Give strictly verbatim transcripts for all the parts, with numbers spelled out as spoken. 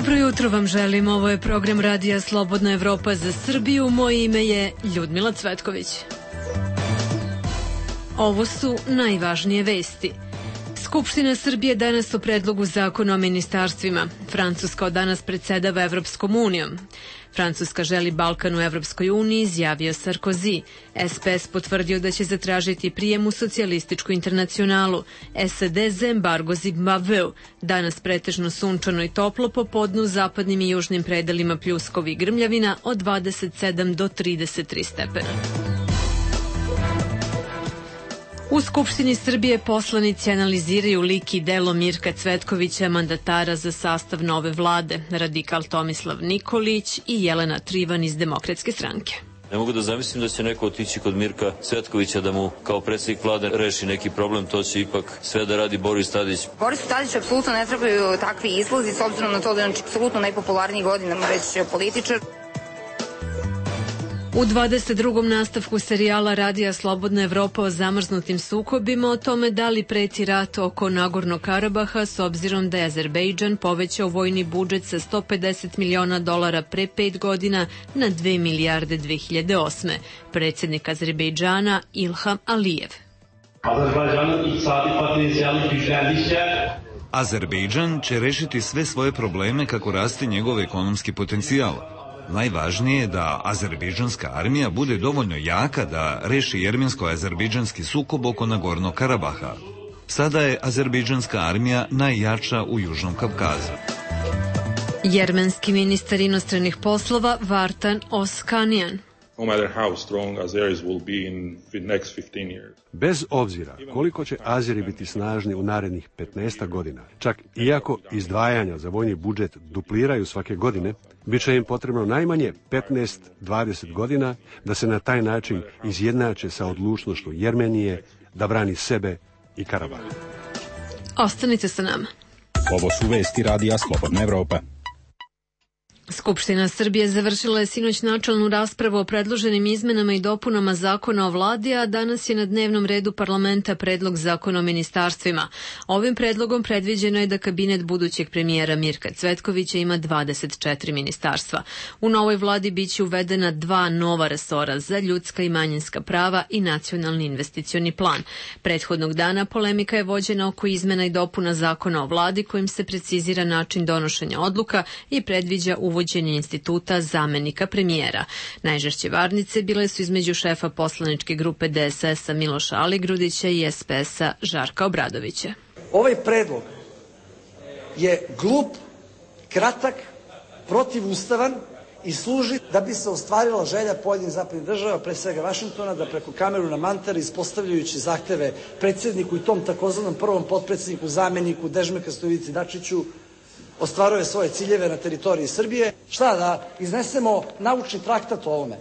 Dobro jutro vam želim, ovo je program Radija Slobodna Evropa za Srbiju, moje ime je Ljudmila Cvetković. Ovo su najvažnije vesti. Skupština Srbije danas o predlogu zakona o ministarstvima. Francuska od danas predsedava Evropskom unijom. Francuska želi Balkan u Evropskoj uniji, izjavio Sarkozy. S P S potvrdio da će zatražiti prijem u socijalističku internacionalu. S A D za embargo Zimbabveu. Danas pretežno sunčano i toplo, popodne u zapadnim i južnim predelima pljuskovi i grmljavina od dvadeset sedam do trideset tri stepena. U Skupštini Srbije poslanici analiziraju lik i delo Mirka Cvetkovića, mandatara za sastav nove vlade, radikal Tomislav Nikolić i Jelena Trivan iz Demokratske stranke. Ne mogu da zamislim da će neko otići kod Mirka Cvetkovića da mu kao predsjednik vlade reši neki problem, to će ipak sve da radi Boris Tadić. Borisu Tadiću apsolutno ne trebaju takvi izlazi, s obzirom na to da je on apsolutno najpopularniji godinama već političar. U dvadeset drugom nastavku serijala Radija Slobodna Evropa o zamrznutim sukobima o tome da li preti rat oko Nagornog Karabaha s obzirom da je Azerbejdžan povećao vojni budžet sa sto pedeset miliona dolara pre pet godina na dve milijarde dve hiljade osme. Predsjednik Azerbejdžana Ilham Alijev. Azerbejdžan će rešiti sve svoje probleme kako raste njegov ekonomski potencijal. Najvažnije je da azerbejdžanska armija bude dovoljno jaka da reši jermensko-azerbejdžanski sukob oko Nagornog Karabaha. Sada je azerbejdžanska armija najjača u Južnom Kavkazu. Jermenski ministar inostranih poslova Vartan Oskanjan. No matter how strong Azeris will be in the next fifteen years. Bez obzira koliko će Azeri biti snažni u narednih petnaest godina, čak iako izdvajanja za vojni budžet dupliraju svake godine, bit će im potrebno najmanje petnaest do dvadeset godina da se na taj način izjednače sa odlučnošću Jermenije da brani sebe i Karabah. Ostanite sa nama. Ovo su vesti Radija Slobodna Evropa. Skupština Srbije završila je sinoć načelnu raspravu o predloženim izmenama i dopunama zakona o vladi, a danas je na dnevnom redu parlamenta predlog zakona o ministarstvima. Ovim predlogom predviđeno je da kabinet budućeg premijera Mirka Cvetkovića ima dvadeset četiri ministarstva. U novoj vladi biće uvedena dva nova resora za ljudska i manjinska prava i nacionalni investicioni plan. Prethodnog dana polemika je vođena oko izmena i dopuna zakona o vladi kojim se precizira način donošenja odluka i predviđa uvođenje instituta zamenika premijera. Najžešće varnice bile su između šefa poslaničke grupe D S S-a Miloša Aligrudića i S P S-a Žarka Obradovića. Ovaj predlog je glup, kratak, protivustavan i služi da bi se ostvarila želja pojedinih zapadnih država, pre svega Vašingtona, da preko Kameruna Mantara, ispostavljajući zahteve predsjedniku i tom takozvanom prvom potpredsjedniku, zameniku Dežmeka Stojici Dačiću, ostvaruje svoje ciljeve na teritoriji Srbije. Šta, da iznesemo naučni traktat o ovome?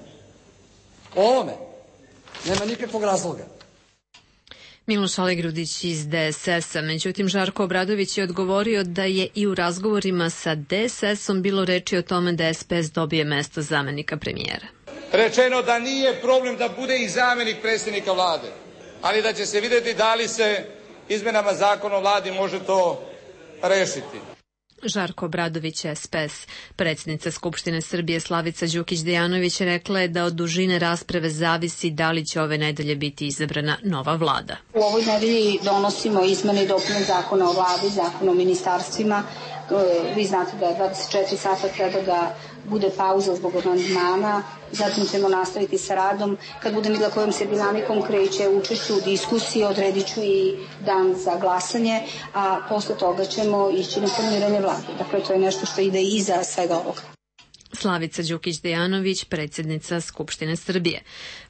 O ovome? Nema nikakvog razloga. Miloš Aligrudić iz D S S-a, međutim Žarko Obradović je odgovorio da je i u razgovorima sa D S S-om bilo reči o tome da S P S dobije mesto zamenika premijera. Rečeno da nije problem da bude i zamenik predsjednika vlade, ali da će se vidjeti da li se izmenama zakona o vladi može to rešiti. Žarko Obradović, S P S. Predsjednica Skupštine Srbije Slavica Đukić-Dejanović rekla je da od dužine rasprave zavisi da li će ove nedelje biti izabrana nova vlada. U ovoj nedelji donosimo izmene i dopune zakona o vladi, zakona o ministarstvima. Vi znate da je dvadeset četiri sata treba da bude pauza zbog amandmana, zatim ćemo nastaviti sa radom. Kad budem videla kojom se dinamikom kreće učešću u diskusiji, odredit ću i dan za glasanje, a posle toga ćemo ići na formiranje vlade. Dakle, to je nešto što ide iza svega ovoga. Slavica Đukić-Dejanović, predsjednica Skupštine Srbije.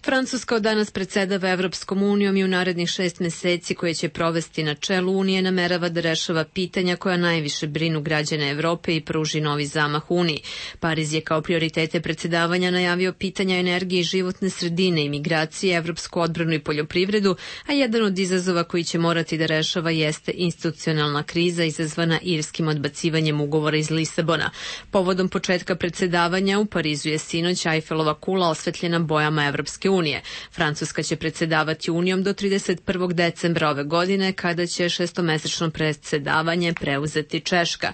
Francuska od danas predsedava Evropskom unijom i u narednih šest meseci koje će provesti na čelu Unije namerava da rešava pitanja koja najviše brinu građane Evrope i pruži novi zamah Uniji. Pariz je kao prioritete predsedavanja najavio pitanja energije i životne sredine, imigracije, evropsku odbranu i poljoprivredu, a jedan od izazova koji će morati da rešava jeste institucionalna kriza izazvana irskim odbacivanjem ugovora iz Lisabona. Povodom početka predsedavanja u Parizu je sinoć Ajfelova kula osvetljena bojama Evropske unije. Francuska će predsedavati Unijom do trideset prvog decembra ove godine, kada će šestomesečno predsedavanje preuzeti Češka.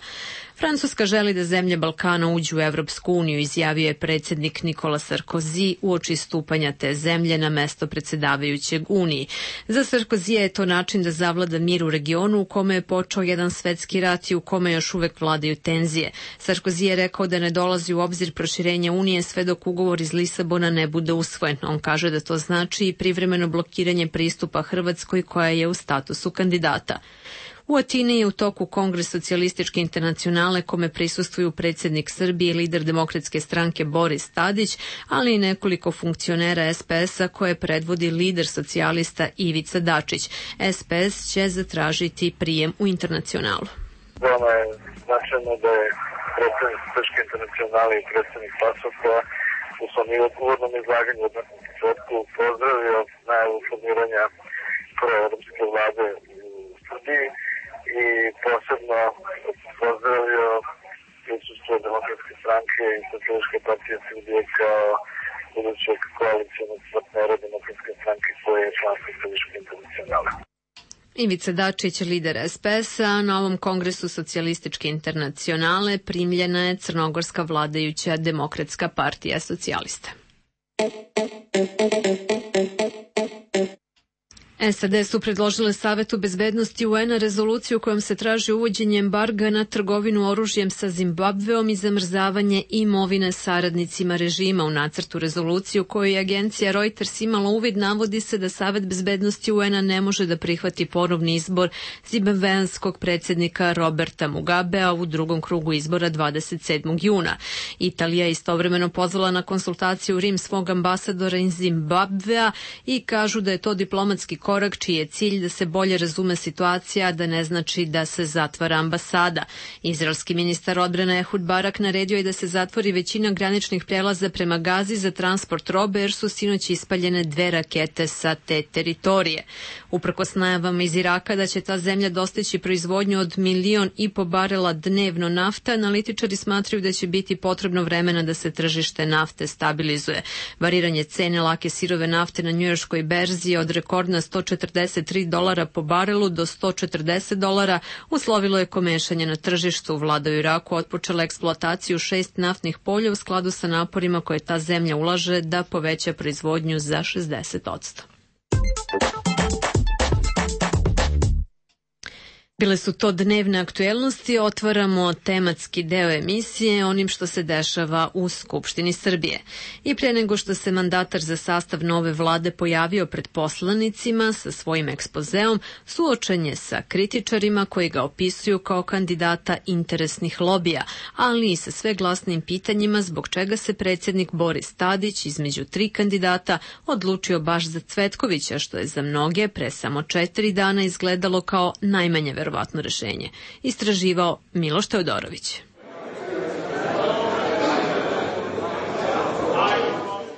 Francuska želi da zemlje Balkana uđu u Evropsku uniju, izjavio je predsjednik Nikola Sarkozy uoči stupanja te zemlje na mesto predsjedavajućeg Uniji. Za Sarkozija je to način da zavlada mir u regionu u kome je počeo jedan svetski rat i u kome još uvek vladaju tenzije. Sarkozy je rekao da ne dolazi u obzir proširenje Unije sve dok ugovor iz Lisabona ne bude usvojen. On kaže da to znači i privremeno blokiranje pristupa Hrvatskoj koja je u statusu kandidata. U Atini je u toku Kongres socijalističke internacionale kome prisustvuju predsjednik Srbije i lider Demokratske stranke Boris Tadić, ali i nekoliko funkcionera es pe es-a koje predvodi lider socijalista Ivica Dačić. es pe es će zatražiti prijem u internacionalu. Veoma je značajno da je predsjednik Srpske internacionale i predsjednik Pasokova u svom uvodnom izlaganju od početku pozdravio najavu formiranja proevropske vlade u Srbiji i posebno pozdravio prisustvo Demokratske stranke i Socijalističke partije Srbije kao budućeg koalicijalnog partnera Demokratske stranke koje je članstvo Srpske internacionale. Ivica Dačić, lider es pe es-a, na ovom kongresu socijalističke internacionale primljena je crnogorska vladajuća Demokratska partija socijalista. es a de su predložile Savetu bezbednosti u en a rezoluciju kojom se traži uvođenje embarga na trgovinu oružjem sa Zimbabveom i zamrzavanje imovine saradnicima režima. U nacrtu rezoluciju koju je agencija Reuters imala uvid navodi se da Savet bezbednosti u en a ne može da prihvati ponovni izbor zimbabveanskog predsjednika Roberta Mugabea u drugom krugu izbora dvadeset sedmog juna. Italija je istovremeno pozvala na konsultaciju u Rim svog ambasadora iz Zimbabvea i kažu da je to diplomatski korak čiji je cilj da se bolje razume situacija, da ne znači da se zatvara ambasada. Izraelski ministar odbrane Ehud Barak naredio je da se zatvori većina graničnih prelaza prema Gazi za transport robe jer su sinoć ispaljene dve rakete sa te teritorije. Uprkos najavama iz Iraka da će ta zemlja dostići proizvodnju od milion i po barela dnevno nafte, analitičari smatraju da će biti potrebno vremena da se tržište nafte stabilizuje. Variranje cene lake sirove nafte na njujorškoj berzi od rekordna sto četrdeset tri dolara po barelu do sto četrdeset dolara uslovilo je komešanje na tržištu. Vlada u Iraku otpočela eksploataciju šest naftnih polja u skladu sa naporima koje ta zemlja ulaže da poveća proizvodnju za šezdeset posto. Bile su to dnevne aktuelnosti, otvaramo tematski deo emisije onim što se dešava u Skupštini Srbije. I pre nego što se mandatar za sastav nove vlade pojavio pred poslanicima sa svojim ekspozeom, suočen je sa kritičarima koji ga opisuju kao kandidata interesnih lobija, ali i sa sve glasnim pitanjima zbog čega se predsjednik Boris Tadić između tri kandidata odlučio baš za Cvetkovića, što je za mnoge pre samo četiri dana izgledalo kao najmanje verovatno verovatno rešenje. Istraživao Miloš Teodorović.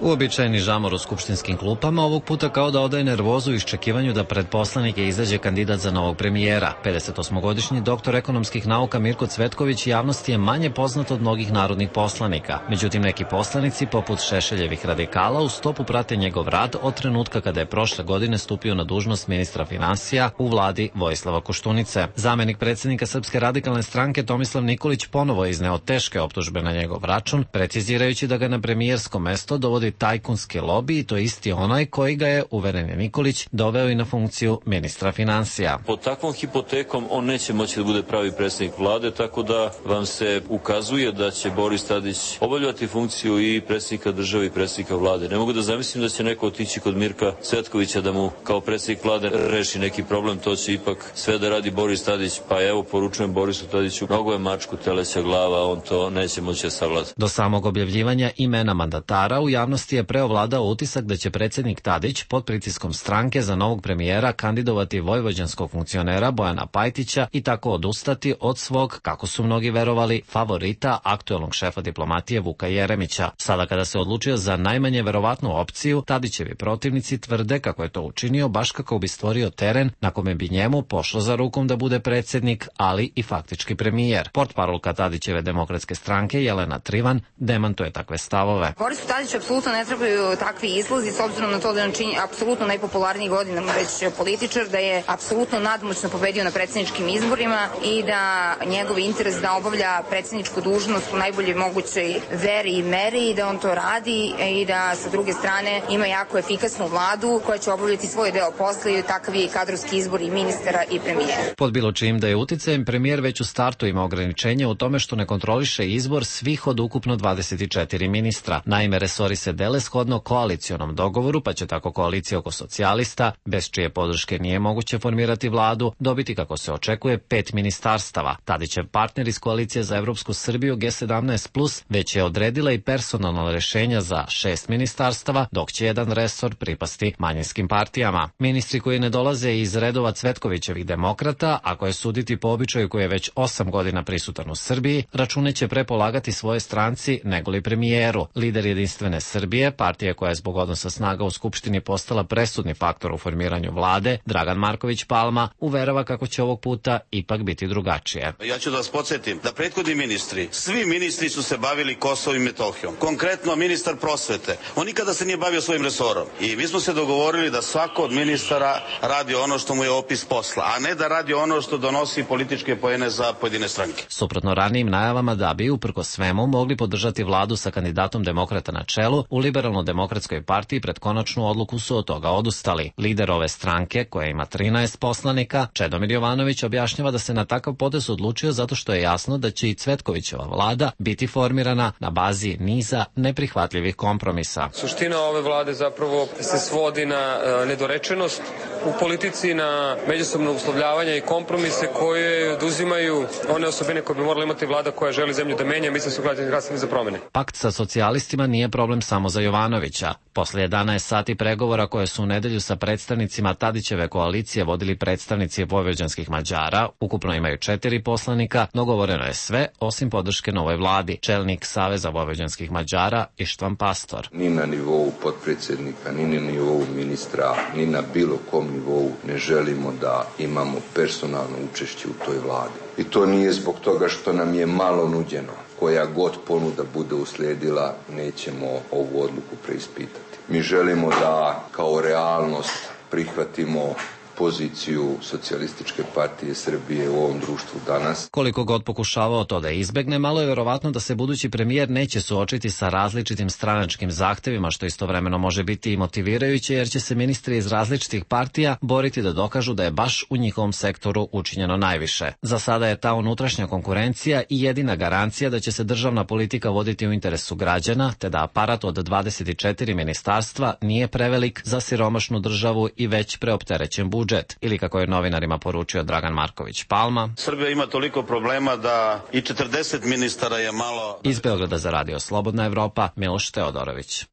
Uobičajeni žamor u skupštinskim klupama ovog puta kao da odaje nervozu u iščekivanju da pred poslanike izađe kandidat za novog premijera. pedesetosmogodišnji doktor ekonomskih nauka Mirko Cvetković javnosti je manje poznat od mnogih narodnih poslanika. Međutim, neki poslanici, poput Šešeljevih radikala, u stopu prate njegov rad od trenutka kada je prošle godine stupio na dužnost ministra finansija u vladi Vojislava Koštunice. Zamenik predsjednika Srpske radikalne stranke Tomislav Nikolić ponovo je izneo teške optužbe na njegov račun, precizirajući da ga na premijersko mesto dovodi tajkunski lobi i to je isti onaj koji ga je, uveren je Nikolić, doveo i na funkciju ministra finansija. Pod takvom hipotekom on neće moći da bude pravi predsjednik vlade, tako da vam se ukazuje da će Boris Tadić obavljati funkciju i predsjednika države i predsjednika vlade. Ne mogu da zamislim da će neko otići kod Mirka Cvetkovića da mu kao predsjednik vlade reši neki problem, to će ipak sve da radi Boris Tadić, pa evo poručujem Borisu Tadiću, mnogo je mačku teleća glava, on to neće moći da savlada. Do samog objavljivanja imena mandatara u javnosti je preovladao utisak da će predsjednik Tadić pod pritiskom stranke za novog premijera kandidovati vojvođanskog funkcionera Bojana Pajtića i tako odustati od svog, kako su mnogi verovali, favorita, aktuelnog šefa diplomatije Vuka Jeremića. Sada kada se odlučio za najmanje verovatnu opciju, Tadićevi protivnici tvrde kako je to učinio baš kako bi stvorio teren na kome bi njemu pošlo za rukom da bude predsjednik, ali i faktički premijer. Portparolka Tadićeve demokratske stranke Jelena Trivan demantuje takve stavove. Borisu Tadiću apsolutno apsolutno ne trebaju takvi izlazi, s obzirom na to da je on čini apsolutno najpopularniji godinama već političar, da je apsolutno nadmoćno pobedio na predsjedničkim izborima i da njegov interes da obavlja predsjedničku dužnost u najboljoj mogućoj veri i meri i da on to radi i da sa druge strane ima jako efikasnu vladu koja će obavljati svoj deo posla i takav je i kadrovski izbor i ministara i premijera. Pod bilo čijim da je uticajem, premijer već u startu ima ograničenje u tome što ne kontroliše izbor svih od ukupno dvadeset četiri ministra. Naime, resori se dele shodno koalicionom dogovoru, pa će tako koalicija oko socijalista, bez čije podrške nije moguće formirati vladu, dobiti, kako se očekuje, pet ministarstava. Tadićev partner iz koalicije za Evropsku Srbiju G sedamnaest plus već je odredila i personalna rešenja za šest ministarstava, dok će jedan resor pripasti manjinskim partijama. Ministri koji ne dolaze iz redova Cvetkovićevih demokrata, a koje suditi po običaju koji je već osam godina prisutan u Srbiji, račune će pre polagati svoje stranci negoli premijeru. Lider Jedinstvene Srbije, partije koja je zbog odnosa snaga u Skupštini postala presudni faktor u formiranju vlade, Dragan Marković Palma, uverava kako će ovog puta ipak biti drugačije. Ja ću da vas podsjetim da prethodni ministri, svi ministri su se bavili Kosovom i Metohijom. Konkretno ministar prosvete, on nikada se nije bavio svojim resorom. I mi smo se dogovorili da svako od ministara radi ono što mu je opis posla, a ne da radi ono što donosi političke poene za pojedine stranke. Suprotno ranijim najavama da bi, uprko svemu, mogli podržati vladu sa kandidatom demokrata na čelu, u Liberalno-demokratskoj partiji pred konačnu odluku su od toga odustali. Lider ove stranke, koja ima trinaest poslanika, Čedomir Jovanović, objašnjava da se na takav potez odlučio zato što je jasno da će i Cvetkovićeva vlada biti formirana na bazi niza neprihvatljivih kompromisa. Suština ove vlade zapravo se svodi na uh, nedorečenost u politici, na međusobno uslovljavanje i kompromise koje oduzimaju one osobine koje bi morala imati vlada koja želi zemlju da menja. Mislim da su građani glasali za promene. Pakt sa socijalistima nije problem samo za Jovanovića. Posle jedanaest sati pregovora koje su u nedelju sa predstavnicima Tadićeve koalicije vodili predstavnici vojvođanskih Mađara, ukupno imaju četiri poslanika, dogovoreno je sve osim podrške novoj vladi. Čelnik Saveza vojvođanskih Mađara Ištvan Pastor. Ni na nivou potpredsjednika, ni na nivou ministra, ni na bilo kom nivou ne želimo da imamo personalno učešće u toj vladi. I to nije zbog toga što nam je malo nuđeno. Koja god ponuda bude uslijedila, nećemo ovu odluku preispitati. Mi želimo da kao realnost prihvatimo poziciju Socijalističke partije Srbije u ovom društvu danas. Koliko god pokušavao to da izbegne, malo je verovatno da se budući premijer neće suočiti sa različitim stranačkim zahtevima, što istovremeno može biti i motivirajuće, jer će se ministri iz različitih partija boriti da dokažu da je baš u njihovom sektoru učinjeno najviše. Za sada je ta unutrašnja konkurencija i jedina garancija da će se državna politika voditi u interesu građana, te da aparat od dvadeset četiri ministarstva nije prevelik za siromašnu državu i već preopterećen budžet. Ili kako je novinarima poručio Dragan Marković Palma, Srbija ima toliko problema da i četrdeset ministara je malo. Iz Beograda za radio Slobodna Evropa, Miloš Teodorović.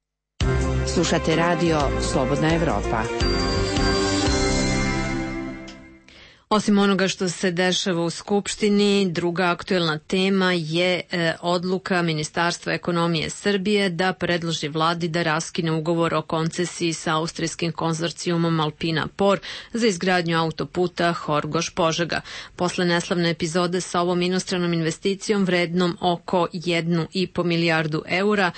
Slušate radio Slobodna Evropa. Osim onoga što se dešava u Skupštini, druga aktuelna tema je e, odluka Ministarstva ekonomije Srbije da predloži vladi da raskine ugovor o koncesiji sa austrijskim konzorcijumom Alpina Por za izgradnju autoputa Horgoš-Požega. Posle neslavne epizode sa ovom inostranom investicijom vrednom oko jednu i po milijardu eura,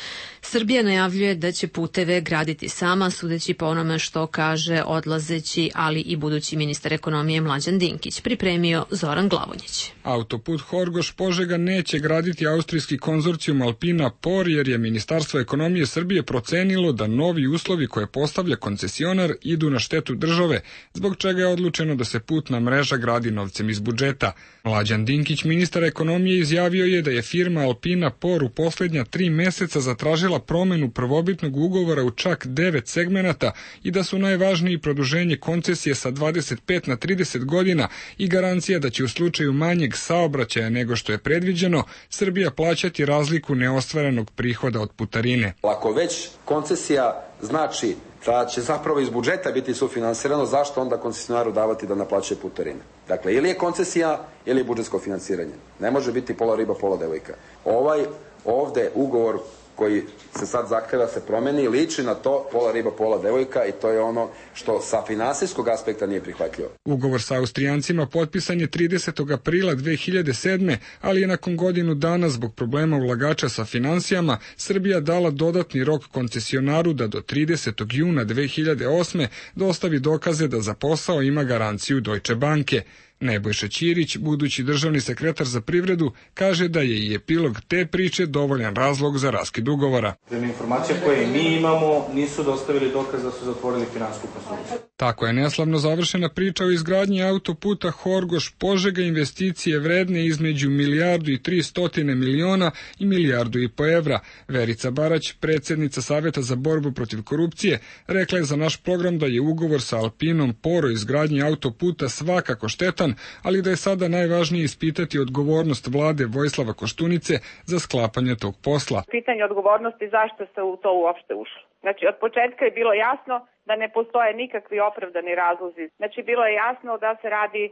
Srbija najavljuje da će puteve graditi sama, sudeći po onome što kaže odlazeći, ali i budući ministar ekonomije Mlađan Dinkić. Pripremio Zoran Glavonjić. Autoput Horgoš-Požega neće graditi austrijski konzorcijum Alpina Por, jer je Ministarstvo ekonomije Srbije procenilo da novi uslovi koje postavlja koncesionar idu na štetu države, zbog čega je odlučeno da se putna mreža gradi novcem iz budžeta. Mlađan Dinkić, ministar ekonomije, izjavio je da je firma Alpina Por u poslednja tri meseca zatražila promenu prvobitnog ugovora u čak devet segmenata i da su najvažniji produženje koncesije sa dvadeset pet na trideset godina i garancija da će u slučaju manjeg saobraćaja nego što je predviđeno, Srbija plaćati razliku neostvarenog prihoda od putarine. Ako već koncesija znači da će zapravo iz budžeta biti sufinansirano, zašto onda koncesionaru davati da naplaćuje putarine? Dakle, ili je koncesija, ili je budžetsko finansiranje. Ne može biti pola riba, pola devojka. Ovaj ovde ugovor koji se sad zahteva se promeni, liči na to pola riba, pola devojka i to je ono što sa finansijskog aspekta nije prihvatljivo. Ugovor sa Austrijancima potpisan je tridesetog aprila dve hiljade sedme, ali je nakon godinu dana zbog problema ulagača sa finansijama Srbija dala dodatni rok koncesionaru da do tridesetog juna dve hiljade osme dostavi dokaze da za posao ima garanciju Deutsche Banke. Nebojša Ćirić, budući državni sekretar za privredu, kaže da je i epilog te priče dovoljan razlog za raskid ugovora. Prema informacija koje mi imamo, nisu dostavili dokaz da su zatvorili finansijsku konstrukciju. Tako je neslavno završena priča o izgradnji autoputa Horgoš-Požega, investicije vredne između milijardu i tri stotine miliona i milijardu i po evra. Verica Barać, predsjednica Saveta za borbu protiv korupcije, rekla je za naš program da je ugovor sa Alpinom Por o izgradnji autoputa svakako štetan, ali da je sada najvažnije ispitati odgovornost vlade Vojislava Koštunice za sklapanje tog posla. Pitanje odgovornosti zašto se u to uopšte ušlo. Znači, od početka je bilo jasno da ne postoje nikakvi opravdani razlozi. Znači, bilo je jasno da se radi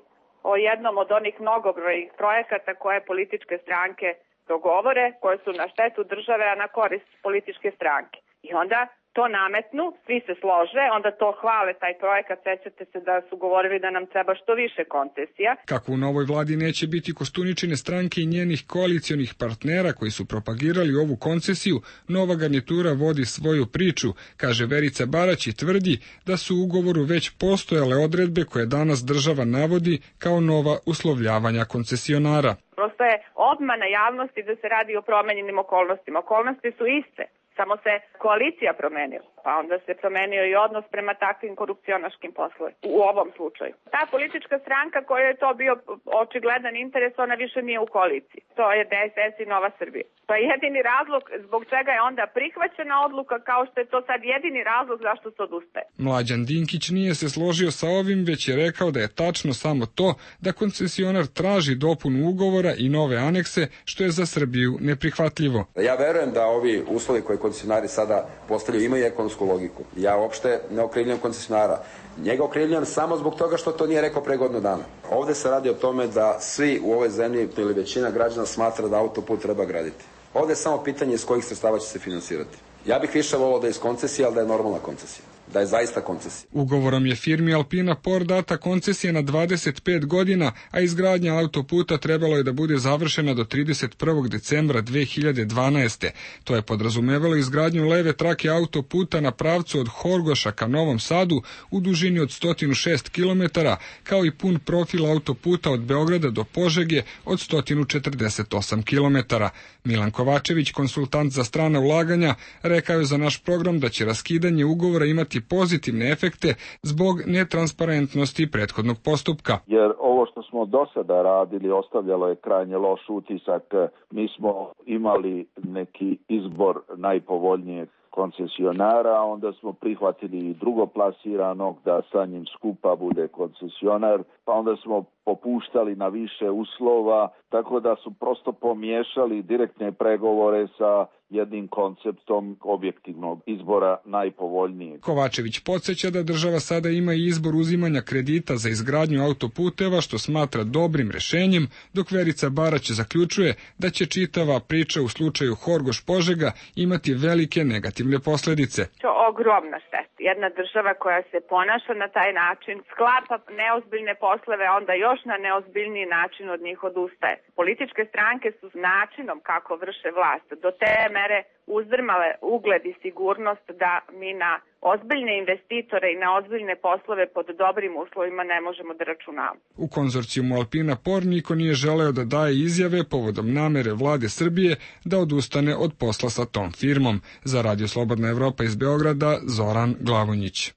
o jednom od onih mnogobrojnih projekata koje političke stranke dogovore, koje su na štetu države, a na korist političke stranke. I onda to nametnu, svi se slože, onda to hvale taj projekat, sećate se da su govorili da nam treba što više koncesija. Kako u novoj vladi neće biti Koštuničine stranke i njenih koalicionih partnera koji su propagirali ovu koncesiju, nova garnitura vodi svoju priču, kaže Verica Barać i tvrdi da su u ugovoru već postojale odredbe koje danas država navodi kao nova uslovljavanja koncesionara. Prosto je obmana javnosti da se radi o promenjenim okolnostima. Okolnosti su iste. Samo se koalicija promenila, pa onda se promenio i odnos prema takvim korupcionaškim poslovima u ovom slučaju. Ta politička stranka koja je to bio očigledan interes, ona više nije u koaliciji. To je D S S i Nova Srbija. Pa jedini razlog zbog čega je onda prihvaćena odluka, kao što je to sad jedini razlog zašto se odustaje. Mlađan Dinkić nije se složio sa ovim, već je rekao da je tačno samo to da koncesionar traži dopunu ugovora i nove anekse, što je za Srbiju neprihvatljivo. Ja verujem da ovi uslovi koje koncesionari sada postavljaju imaju ekonomsku logiku. Ja uopšte ne okrivljam koncesionara. Njega okrivljam samo zbog toga što to nije rekao pre godinu dana. Ovde se radi o tome da svi u ovoj zemlji ili većina građana smatra da autoput treba graditi. Ovde je samo pitanje iz kojih sredstava će se finansirati. Ja bih više volao da je iz koncesije, ali da je normalna koncesija. Da je zaista koncesija. Ugovorom je firmi Alpina Por data koncesija na dvadeset pet godina, a izgradnja autoputa trebalo je da bude završena do trideset prvog decembra dve hiljade dvanaeste. To je podrazumevalo izgradnju leve trake autoputa na pravcu od Horgoša ka Novom Sadu u dužini od sto šest kilometara, kao i pun profil autoputa od Beograda do Požege od sto četrdeset osam kilometara. Milan Kovačević, konsultant za strana ulaganja, rekao je za naš program da će raskidanje ugovora imati pozitivne efekte zbog netransparentnosti prethodnog postupka. Jer ovo što smo do sada radili ostavljalo je krajnje loš utisak. Mi smo imali neki izbor najpovoljnijeg koncesionara, onda smo prihvatili i drugoplasiranog da sa njim skupa bude koncesionar, pa onda smo popuštali na više uslova, tako da su prosto pomiješali direktne pregovore sa jednim konceptom objektivnog izbora najpovoljnijeg. Kovačević podsjeća da država sada ima i izbor uzimanja kredita za izgradnju autoputeva, što smatra dobrim rešenjem, dok Verica Barać zaključuje da će čitava priča u slučaju Horgoš-Požega imati velike negativne posledice. Ogromna šteta. Jedna država koja se ponaša na taj način, sklapa neozbiljne poslove, onda još na neozbiljniji način od njih odustaje. Političke stranke su načinom kako vrše vlast do te mere uzdrmale ugled i sigurnost da mi na ozbiljne investitore i na ozbiljne poslove pod dobrim uslovima ne možemo da računamo. U konzorcijumu Alpina Por niko nije želeo da daje izjave povodom namere vlade Srbije da odustane od posla sa tom firmom. Za Radio Slobodna Evropa iz Beograda, Zoran Glavonjić.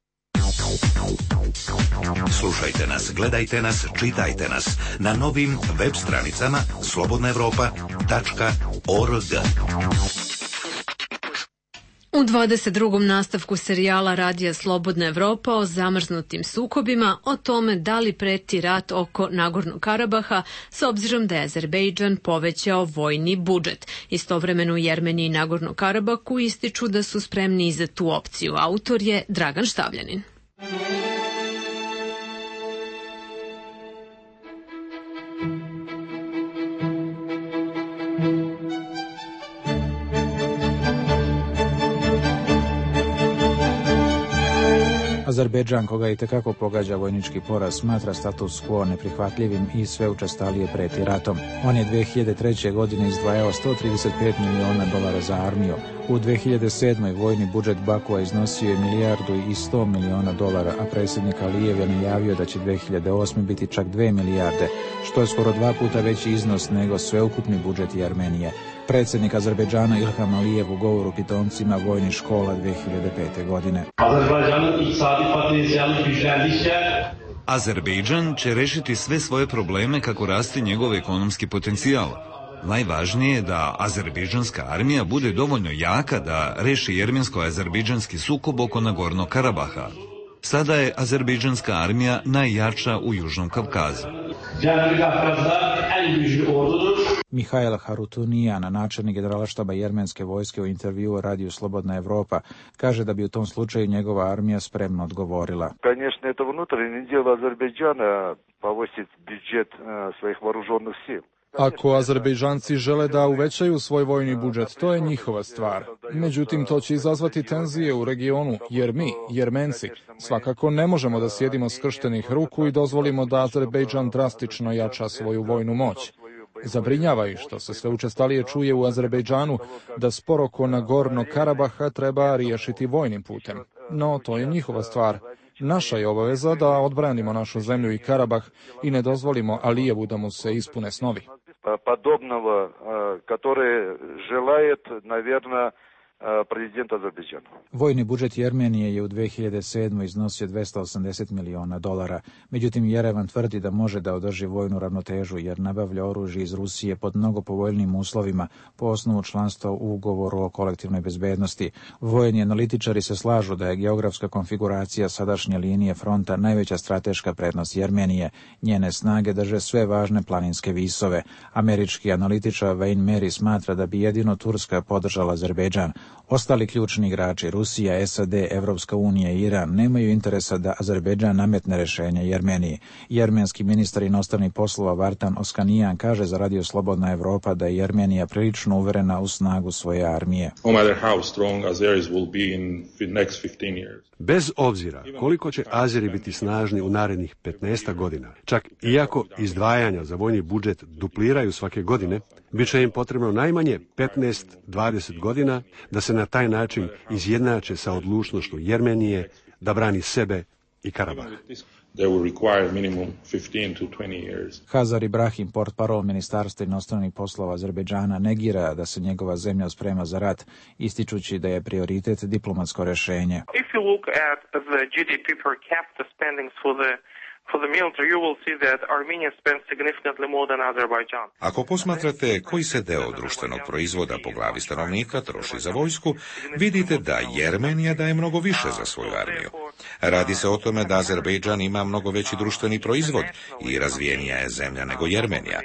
Slušajte nas, gledajte nas, čitajte nas na novim web stranicama slobodna evropa tačka org. U dvadeset drugom nastavku serijala Radija Slobodna Evropa o zamrznutim sukobima, o tome da li preti rat oko Nagornog Karabaha s obzirom da je Azerbejdžan povećao vojni budžet. Istovremeno u Jermeniji i Nagornom Karabahu ističu da su spremni i za tu opciju. Autor je Dragan Štavljanin. Azerbejdžan, koga i tekako pogađa vojnički poraz, smatra status quo neprihvatljivim i sve učestalije preti ratom. On je dve hiljade treće. godine izdvajao sto trideset pet miliona dolara za armiju. U dve hiljade sedmoj. vojni budžet Bakua iznosio je milijardu i sto miliona dolara, a predsjednik Alijev je najavio da će dve hiljade osme. biti čak dve milijarde, što je skoro dva puta veći iznos nego sveukupni budžet Armenije. Predsjednik Azerbejdžana Ilham Alijev u govoru pitomcima vojnih škola dve hiljade pete. godine. Azerbejdžan će rešiti sve svoje probleme kako raste njegov ekonomski potencijal. Najvažnije je da azerbejdžanska armija bude dovoljno jaka da reši jermensko-azerbejdžanski sukob oko Nagornog Karabaha. Sada je azerbejdžanska armija najjača u Južnom Kavkazu. Mihail Harutunijan, načelnik generalštaba jermenske vojske, u intervjuu u radiju Slobodna Evropa, kaže da bi u tom slučaju njegova armija spremno odgovorila. Конечно, это внутреннее дело Азербайджана повысить бюджет своих вооруженных сил. Ako Azerbejdžanci žele da uvećaju svoj vojni budžet, to je njihova stvar. Međutim, to će izazvati tenzije u regionu, jer mi, Jermenci, svakako ne možemo da sjedimo skrštenih ruku i dozvolimo da Azerbejdžan drastično jača svoju vojnu moć. Zabrinjava ih što se sve učestalije čuje u Azerbejdžanu da spor oko Nagornog Karabaha treba riješiti vojnim putem. No, to je njihova stvar. Naša je obaveza da odbranimo našu zemlju i Karabah i ne dozvolimo Alijevu da mu se ispune snovi. Подобного, который желает, наверное, prezident Azerbejdžana. Vojni budžet Jermenije je u dve hiljade sedmoj. iznosio dvesta osamdeset miliona dolara. Međutim, Jerevan tvrdi da može da održi vojnu ravnotežu jer nabavlja oružje iz Rusije pod mnogo povoljnijim uslovima po osnovu članstva u ugovoru o kolektivnoj bezbednosti. Vojni analitičari se slažu da je geografska konfiguracija sadašnje linije fronta najveća strateška prednost Jermenije. Njene snage drže sve važne planinske visove. Američki analitičar Wayne Mary smatra da bi jedino Turska podržala Azerbejdžan. Ostali ključni igrači, Rusija, S A D, Evropska unija i Iran, nemaju interesa da Azerbejdžan nametne rešenje Jermeniji. Jermenski ministar inostranih poslova Vartan Oskanijan kaže za Radio Slobodna Evropa da je Jermenija prilično uverena u snagu svoje armije. Bez obzira koliko će Azeri biti snažni u narednih petnaest godina, čak iako izdvajanja za vojni budžet dupliraju svake godine, bit će im potrebno najmanje petnaest do dvadeset godina da se na taj način izjednače sa odlučnošću Jermenije da brani sebe i Karabah. Hazar Ibrahim, portparol Ministarstva inostranih poslova Azerbejdžana, negira da se njegova zemlja sprema za rat, ističući da je prioritet diplomatsko rešenje. If you look at the G D P per capita spendings for the For the military, you will see that Armenia spends significantly more than Azerbaijan. Ako posmatrate koji se deo društvenog proizvoda po glavi stanovnika troši za vojsku, vidite da Jermenija daje mnogo više za svoju armiju. Radi se o tome da Azerbejdžan ima mnogo veći društveni proizvod i razvijenija je zemlja nego Jermenija.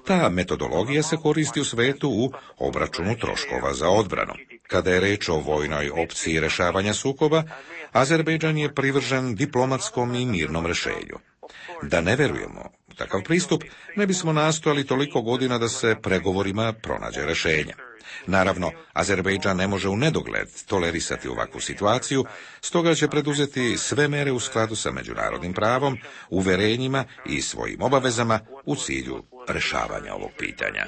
Ta metodologija se koristi u svetu u obračunu troškova za odbranu. Kada je reč o vojnoj opciji rešavanja sukoba, Azerbejdžan je privržen diplomatskom i mirnom rešenju. Da ne verujemo u takav pristup, ne bismo nastojali toliko godina da se pregovorima pronađe rešenje. Naravno, Azerbejdžan ne može u nedogled tolerisati ovakvu situaciju, stoga će preduzeti sve mere u skladu sa međunarodnim pravom, uverenjima i svojim obavezama u cilju rešavanja ovog pitanja.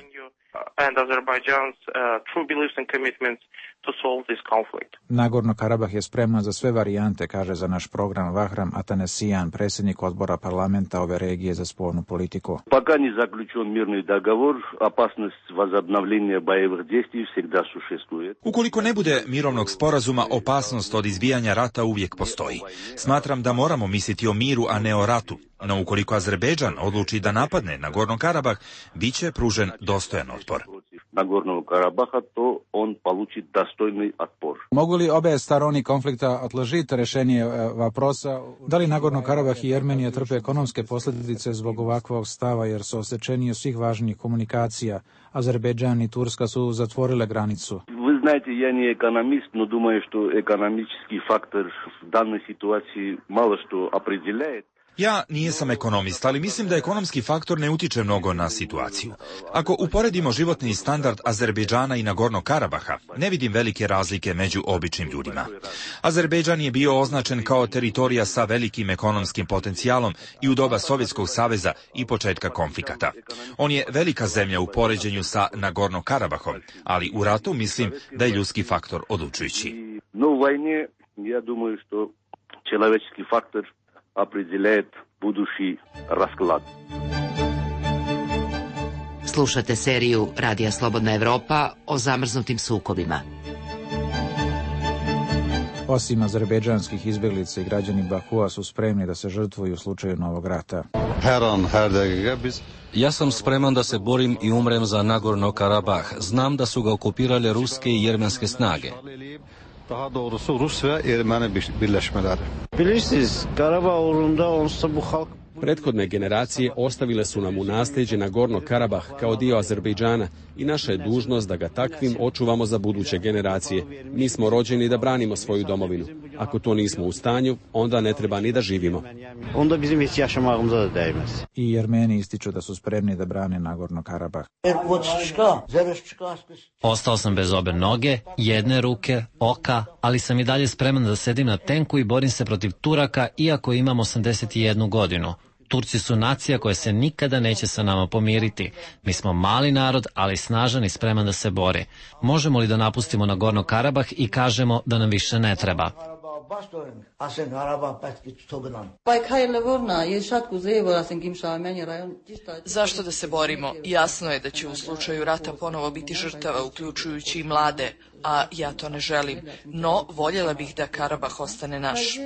And Azerbaijan's uh, true beliefs and commitments to solve this conflict. Nagorno Karabah je spreman za sve varijante, kaže za naš program Vahram Atanasijan, predsjednik odbora parlamenta ove regije za spoljnu politiku. Пока не заключен мирный договор, опасность возобновления боевых действий всегда существует. Ukoliko ne bude mirovnog sporazuma, opasnost od izbijanja rata uvijek postoji. Smatram da moramo misliti o miru, a ne o ratu. No ukoliko Azerbejdžan odluči da napadne Nagorno Karabah, bit će pružen dostojan otpor. Nagornog Karabaha, to on получит достойный отпор. Mogu li obe strane konflikta odložiti rešenje vaprosa? Da li Nagorno Karabah i Jermenija trpe ekonomske posljedice zbog ovakvog stava jer su osečeni svih važnih komunikacija? Azerbejdžan i Turska su zatvorile granicu. Вы знаете, я не экономист, но думаю, что экономический фактор в данной ситуации мало что определяет. Ja nijesam ekonomista, ali mislim da ekonomski faktor ne utiče mnogo na situaciju. Ako uporedimo životni standard Azerbejdžana i Nagornog Karabaha, ne vidim velike razlike među običnim ljudima. Azerbejdžan je bio označen kao teritorija sa velikim ekonomskim potencijalom i u doba Sovjetskog saveza i početka konflikata. On je velika zemlja u poređenju sa Nagornog Karabahom, ali u ratu mislim da je ljudski faktor odlučujući. No, u vojni, ja думаю, što человеческий faktor определяет будущий расклад. Slušate seriju Radija Slobodna Evropa o zamrznutim sukobima. Osim azerbejdžanskih izbjeglica i građani Bakua su spremni da se žrtvuju u slučaju novog rata. Ja sam spreman da se borim i umrem za Nagorno Karabah. Znam da su ga okupirale ruske i jermenske snage. Daha doğrusu Rus ve Ermeni birleşmeleri. Bilirsiniz, Karabağ uğrunda onsuz bu halk. Prethodne generacije ostavile su nam u nasljeđe Nagorno Karabah kao dio Azerbejdžana i naša je dužnost da ga takvim očuvamo za buduće generacije. Mi smo rođeni da branimo svoju domovinu. Ako to nismo u stanju, onda ne treba ni da živimo. Onda bizim hiç yaşamağımıza da değmez. I Jermeni ističu da su spremni da brane Nagorno Karabah. Ostao sam bez obe noge, jedne ruke, oka, ali sam i dalje spreman da sedim na tenku i borim se protiv Turaka, iako imam osamdeset jednu godinu. Turci su nacija koja se nikada neće sa nama pomiriti. Mi smo mali narod, ali snažan i spreman da se bori. Možemo li da napustimo Nagorno Karabah i kažemo da nam više ne treba? Zašto da se borimo? Jasno je da će u slučaju rata ponovo biti žrtava, uključujući i mlade, a ja to ne želim. No, voljela bih da Karabah ostane naš.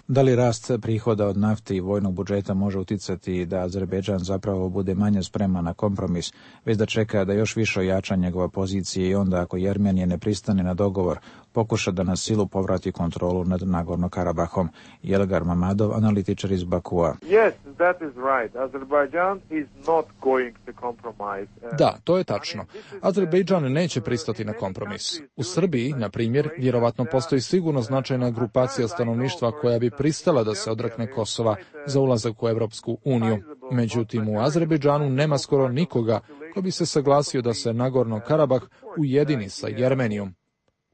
Da li rast prihoda od nafte i vojnog budžeta može uticati da Azerbejdžan zapravo bude manje spreman na kompromis, već da čeka da još više ojača njegova pozicija i onda ako Jermenija ne pristane na dogovor, pokuša da na silu povrati kontrolu nad Nagorno Karabahom? Jelgar Mamadov, analitičar iz Bakua. Yes, that is right. Azerbaijan is not going to compromise. Da, to je tačno. Azerbejdžan neće pristati na kompromis. U Srbiji, na primjer, vjerovatno postoji sigurno značajna grupacija stanovništva koja bi pristala da se odrekne Kosova za ulazak u Evropsku uniju. Međutim, u Azerbejdžanu nema skoro nikoga ko bi se saglasio da se Nagorno Karabah ujedini sa Jermenijom.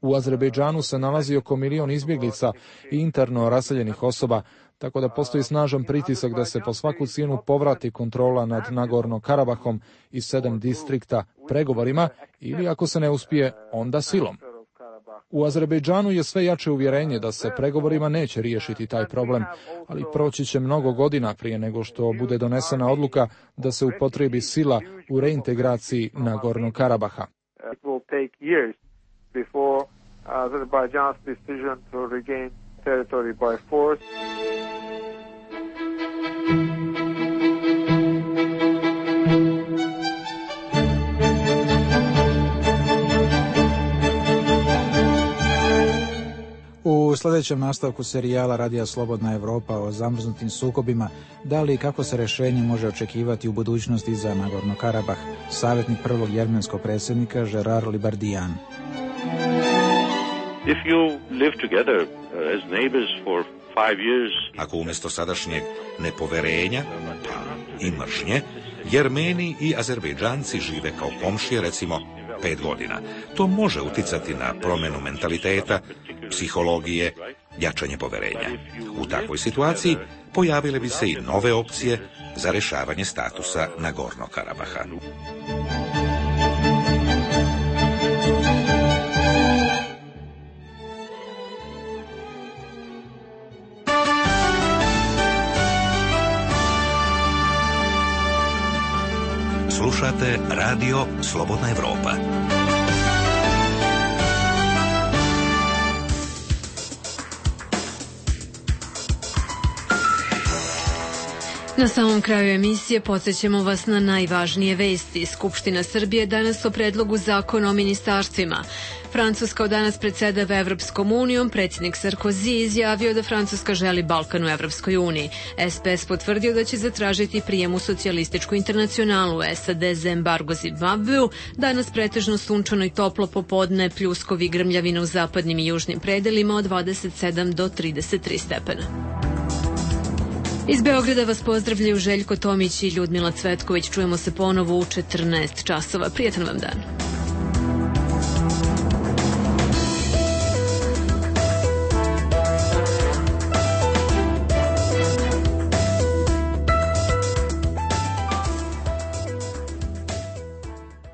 U Azerbejdžanu se nalazi oko milion izbjeglica i interno raseljenih osoba, tako da postoji snažan pritisak da se po svaku cijenu povrati kontrola nad Nagorno Karabahom i sedam distrikta pregovorima ili ako se ne uspije, onda silom. U Azerbejdžanu je sve jače uvjerenje da se pregovorima neće riješiti taj problem, ali proći će mnogo godina prije nego što bude donesena odluka da se upotrebi sila u reintegraciji Nagornog Karabaha. Before Azerbaijan's decision to regain territory by force. U sljedećem nastavku serijala Radija Slobodna Evropa o zamrznutim sukobima, da li i kako se rješenje može očekivati u budućnosti za Nagorno Karabah, savjetnik prvog jermenskog predsjednika Gerard Libardijan. If you live together uh, as neighbors for five years, ako umjesto sadašnjeg nepoverenja pa i mržnje, Jermeni i Azerbejdžanci žive kao komšije recimo pet godina, to može uticati na promjenu mentaliteta, psihologije, jačanje poverenja. U takvoj situaciji pojavile bi se i nove opcije za rješavanje statusa Nagornog Karabaha. Slušate Radio Slobodna Evropa. Na samom kraju emisije podsjećamo vas na najvažnije vesti. Skupština Srbije danas o predlogu zakona o ministarstvima. Francuska od danas predsedava Evropskom unijom, predsjednik Sarkozy izjavio da Francuska želi Balkan u Evropskoj uniji. S P S potvrdio da će zatražiti prijem u socijalističku internacionalu. S A D za embargo Zimbabveu, danas pretežno sunčano i toplo popodne, pljuskovi i grmljavina u zapadnim i južnim predelima od dvadeset sedam do trideset tri stepena. Iz Beograda vas pozdravljaju Željko Tomić i Ljudmila Cvetković. Čujemo se ponovo u četrnaest časova. Prijetan vam dan.